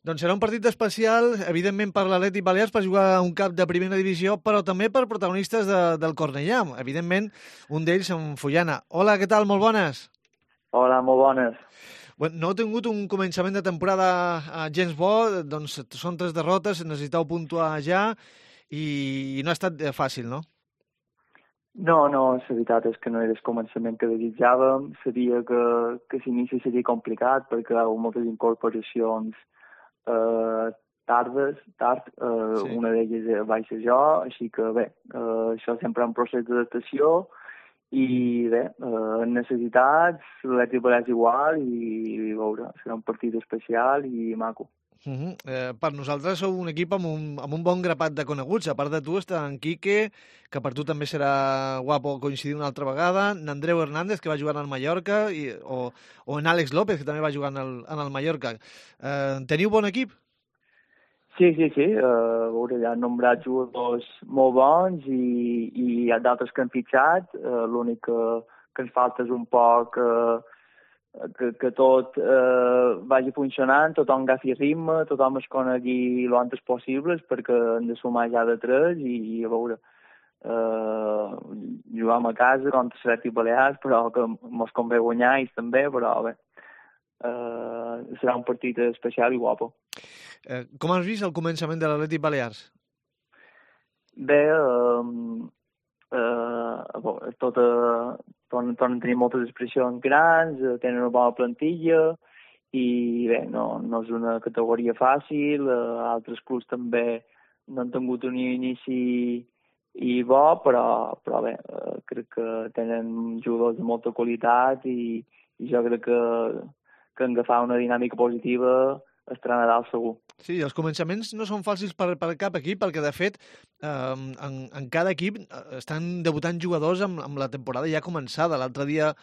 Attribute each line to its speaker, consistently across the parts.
Speaker 1: Doncs serà un partit especial, evidentment per l'Atlètic Balears, per jugar a un cap de primera divisió, però també per protagonistes del Cornellà. Evidentment, un d'ells en Fullana. Hola, què tal? Molt bones.
Speaker 2: Hola, molt bones.
Speaker 1: Bueno, no heu tingut un començament de temporada gens bo, doncs són 3 derrotes, necessiteu puntuar ja i no ha estat fàcil, no?
Speaker 2: No, la veritat és que no era el començament que desitjàvem. Sabia que l'inici seria complicat perquè hi ha moltes incorporacions tard,
Speaker 1: Sí.
Speaker 2: una d'elles vaig ser jo, així que bé, això sempre és un procés d'adaptació i bé, necessitats, l'Atlètic Balears igual i a veure, serà un partit especial i maco.
Speaker 1: Per nosaltres sou un equip amb un bon grapat de coneguts. A part de tu està en Quique, que per tu també serà guapo coincidir una altra vegada, n'Andreu Hernández, que va jugar al Mallorca, o en Àlex López, que també va jugar en el Mallorca. Teniu bon equip?
Speaker 2: Sí, a veure, hi ha nombrats jugadors molt bons i hi ha d'altres que han fitxat. L'únic que ens falta és un poc que tot vagi funcionant, tothom agafi ritme, tothom es conegui lo antes possible perquè hem de sumar ja de 3 i a veure, juguem a casa contra l'Atlètic Balears, però que mos convé guanyar ells també, però bé, serà un partit especial i guapo.
Speaker 1: Com has vist el començament de l'Atlètic Balears?
Speaker 2: Bé, tornen a tenir moltes expressions grans, tenen una bona plantilla i bé, no és una categoria fàcil, altres clubs també no han tingut un inici i bo, però bé, crec que tenen jugadors de molta qualitat i jo crec que han agafat una dinàmica positiva estarà a Nadal segur.
Speaker 1: Sí, els començaments no són fàcils per cap equip, perquè de fet en cada equip estan debutant jugadors amb la temporada ja començada. L'altre dia,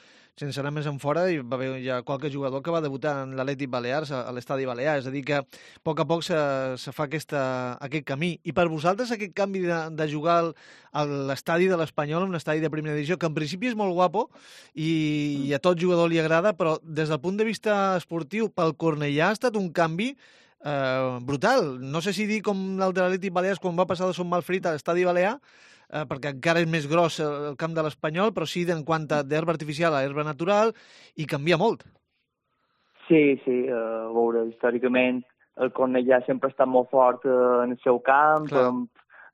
Speaker 1: sense anar més enfora, hi va haver ja qualque jugador que va debutar en l'Atlètic Balears, a l'Estadi Balear, és a dir que a poc se fa aquest camí. I per vosaltres aquest canvi de jugar a l'estadi de l'Espanyol, un estadi de primera divisió, que en principi és molt guapo i a tot jugador li agrada, però des del punt de vista esportiu, pel Cornellà ha estat un canvi brutal. No sé si dir com el de l'Atlètic Balears quan va passar de Son Malferit a l'Estadi Balear, perquè encara és més gros el camp de l'Espanyol, però sí en quant a d'herba artificial a herba natural, i canvia molt.
Speaker 2: Sí, a veure, històricament el Cornellà sempre ha estat molt fort en el seu camp,
Speaker 1: Clar.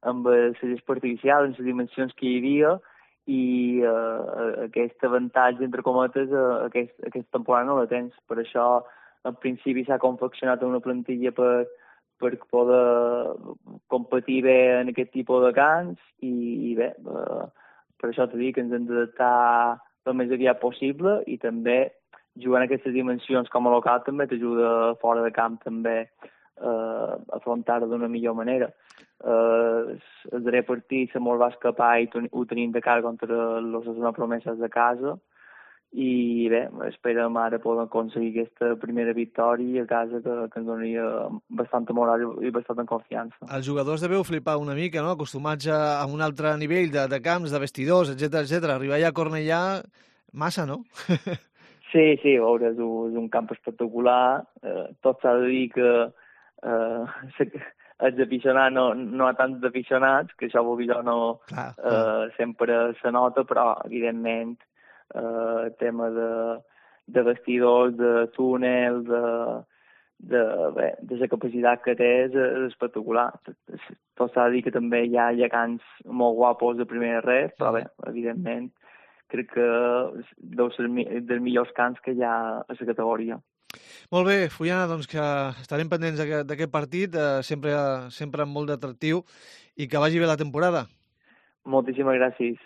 Speaker 2: amb les gespa artificial, en les dimensions que hi havia, i aquest avantatge, entre cometes, aquesta temporada no la tens. Per això, al principi s'ha confeccionat una plantilla per poder competir bé en aquest tipus de camps i bé, per això t'he dit que ens hem d'adaptar el més aviat possible i també jugant en aquestes dimensions com a local també t'ajuda fora de camp també a afrontar-ho d'una millor manera. El darrer partit se mos va escapar i ho tenim de cara contra los Osasuna Promeses de casa i bé, esperem ara poder aconseguir aquesta primera victòria a casa que ens donaria bastanta moral i bastanta confiança.
Speaker 1: Els jugadors deveu flipar una mica, no? Acostumats a un altre nivell de camps, de vestidors, etc. Arribar allà a Cornellà, massa, no?
Speaker 2: Sí, a veure, és un camp espectacular. Tot s'ha de dir que els aficionats no hi ha tants aficionats, que això vol dir no
Speaker 1: Clar.
Speaker 2: sempre se nota, però evidentment tema de vestidors, de túnel, de la capacitat que té és espectacular. Tot s'ha de dir que també hi ha camps molt guapos de primera red, però bé, evidentment crec que deu ser dels millors camps que hi ha a la categoria.
Speaker 1: Molt bé, Fullana, doncs que estarem pendents d'aquest partit, sempre amb molt d'atractiu, i que vagi bé la temporada.
Speaker 2: Moltíssimes gràcies.